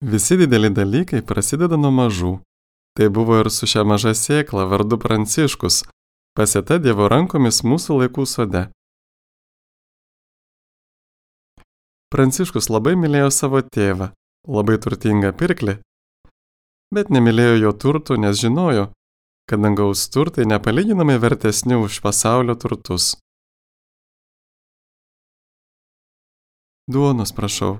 Visi dideli dalykai prasideda nuo mažų. Tai buvo ir su šia maža sėkla vardu Pranciškus, pasėta Dievo rankomis mūsų laikų sode. Pranciškus labai mylėjo savo tėvą, labai turtingą pirklį, bet nemylėjo jo turtų, nes žinojo, kad dangaus turtai nepalyginamai vertesni už pasaulio turtus. Duonos prašau.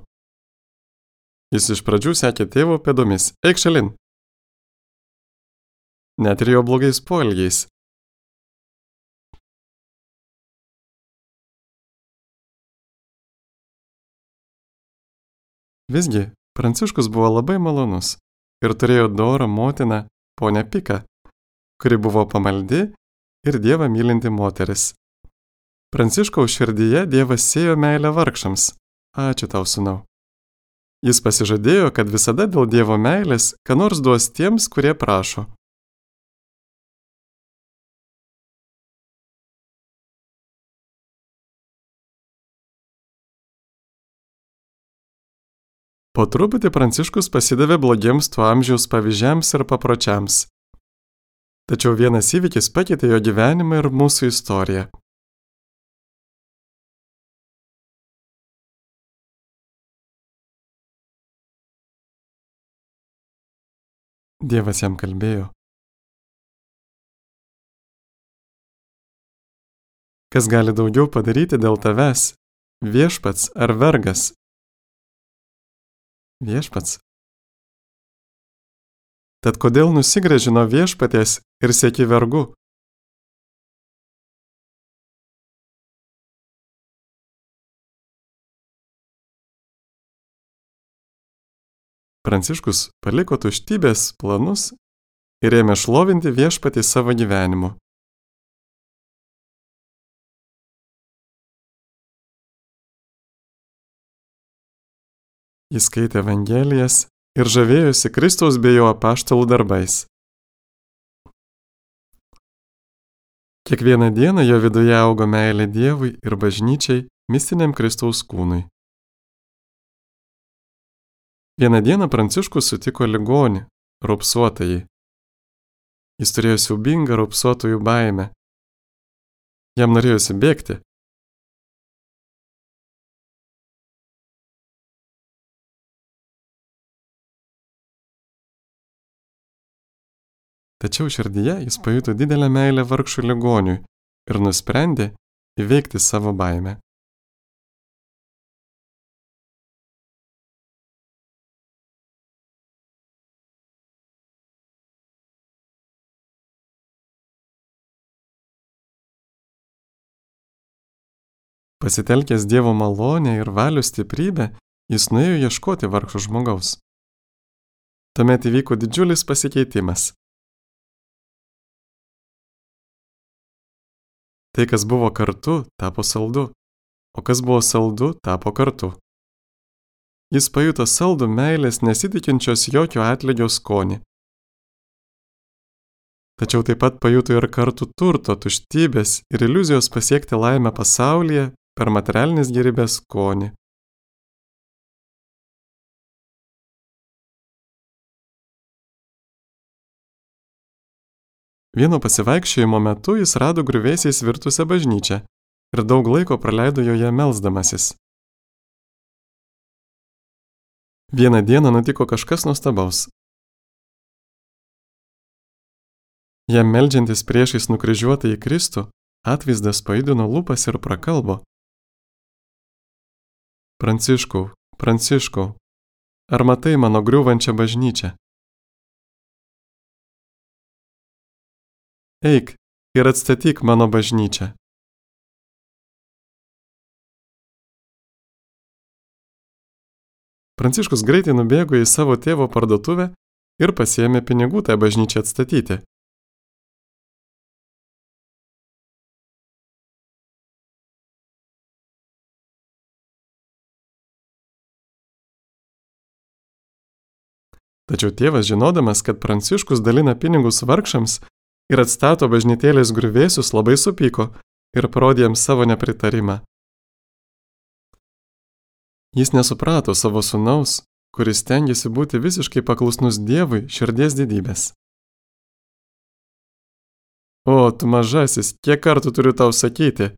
Jis iš pradžių sekė tėvo pėdomis. Eik šalin. Net ir jo blogais poelgiais. Visgi, Pranciškus buvo labai malonus ir turėjo dorą motiną, ponę Piką, kuri buvo pamaldi ir Dievą mylinti moteris. Pranciškaus širdyje Dievas sėjo meilę vargšams. Ačiū tau, sūnau. Jis pasižadėjo, kad visada dėl Dievo meilės ką nors duos tiems, kurie prašo. Po truputį Pranciškus pasidavė blogiems tuo amžiaus pavyzdžiams ir papročiams. Tačiau vienas įvykis pakeitė jo gyvenimą ir mūsų istoriją. Dievas jam kalbėjo. Kas gali daugiau padaryti dėl tavęs, viešpats ar vergas? Viešpats. Tad kodėl nusigręži nuo viešpaties ir sieki vergų? Pranciškus paliko tuštybės planus ir ėmė šlovinti viešpatį savo gyvenimu. Jis skaitė Evangelijas ir žavėjosi Kristaus bei jo apaštalų darbais. Kiekvieną dieną jo viduje augo meilė Dievui ir bažnyčiai, mistiniam Kristaus kūnui. Vieną dieną Pranciškus sutiko ligonį, raupsuotąjį. Jis turėjo siaubingą raupsuotųjų baimę. Jam norėjosi bėgti. Tačiau širdyje jis pajuto didelę meilę vargšų ligoniui ir nusprendė įveikti savo baimę. Pasitelkęs Dievo malonę ir valios stiprybę, jis nuėjo ieškoti vargšo žmogaus. Tuomet įvyko didžiulis pasikeitimas. Tai, kas buvo kartu, tapo saldu, o kas buvo saldu, tapo kartu. Jis pajuto saldų meilės nesitikinčios jokio atlygio skonį. Tačiau taip pat pajuto ir kartų turto, tuštybės ir iliuzijos pasiekti laimę pasaulyje per materialinės gėrybės skonį. Vieno pasivaikščiojimo metu jis rado griuvėsiais virtusią bažnyčią ir daug laiko praleido joje melsdamasis. Vieną dieną nutiko kažkas nuostabaus. Jam meldžiantis priešais nukryžiuotąjį Kristų, atvaizdas pajudino lūpas ir prakalbo. Pranciškau, Pranciškau, ar matai mano griūvančią bažnyčią? Eik ir atstatyk mano bažnyčią. Pranciškus greitai nubėgo į savo tėvo parduotuvę ir pasiėmė pinigų tai bažnyčiai atstatyti. Tačiau tėvas, žinodamas, kad Pranciškus dalina pinigus vargšams ir atstato bažnytėlės griuvėsius, labai supyko ir parodė jam savo nepritarimą. Jis nesuprato savo sūnaus, kuris stengiasi būti visiškai paklusnus Dievui širdies didybės. O, tu mažasis, kiek kartų turiu tau sakyti?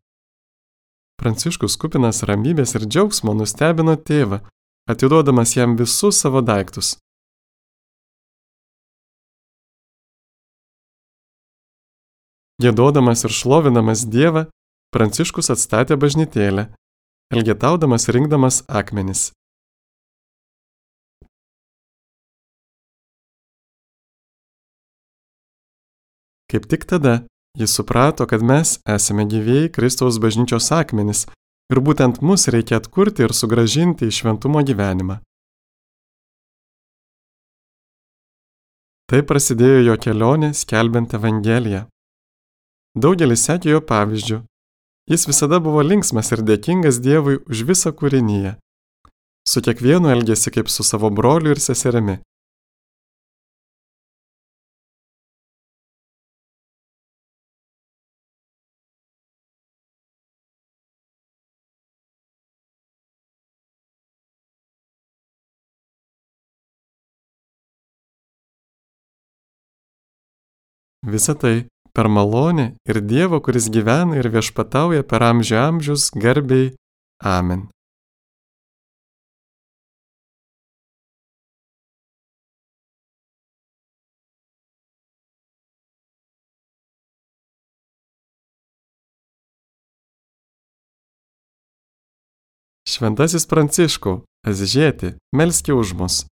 Pranciškus kupinas ramybės ir džiaugsmo nustebino tėvą, atiduodamas jam visus savo daiktus. Giedodamas ir šlovinamas Dievą, Pranciškus atstatė bažnytėlę, elgetaudamas rinkdamas akmenis. Kaip tik tada jis suprato, kad mes esame gyvieji Kristaus bažnyčios akmenys ir būtent mus reikia atkurti ir sugrąžinti į šventumo gyvenimą. Tai prasidėjo jo kelionė skelbiant Evangeliją. Daugelis sekė jo pavyzdžių. Jis visada buvo linksmas ir dėkingas Dievui už visą kūriniją. Su kiekvienu elgėsi kaip su savo broliu ir seserimi. Visa tai per malonę ir Dievo, kuris gyvena ir viešpatauja per amžių amžius, garbei. Amen. Šventasis Pranciškau, Azižieti, melski už mus.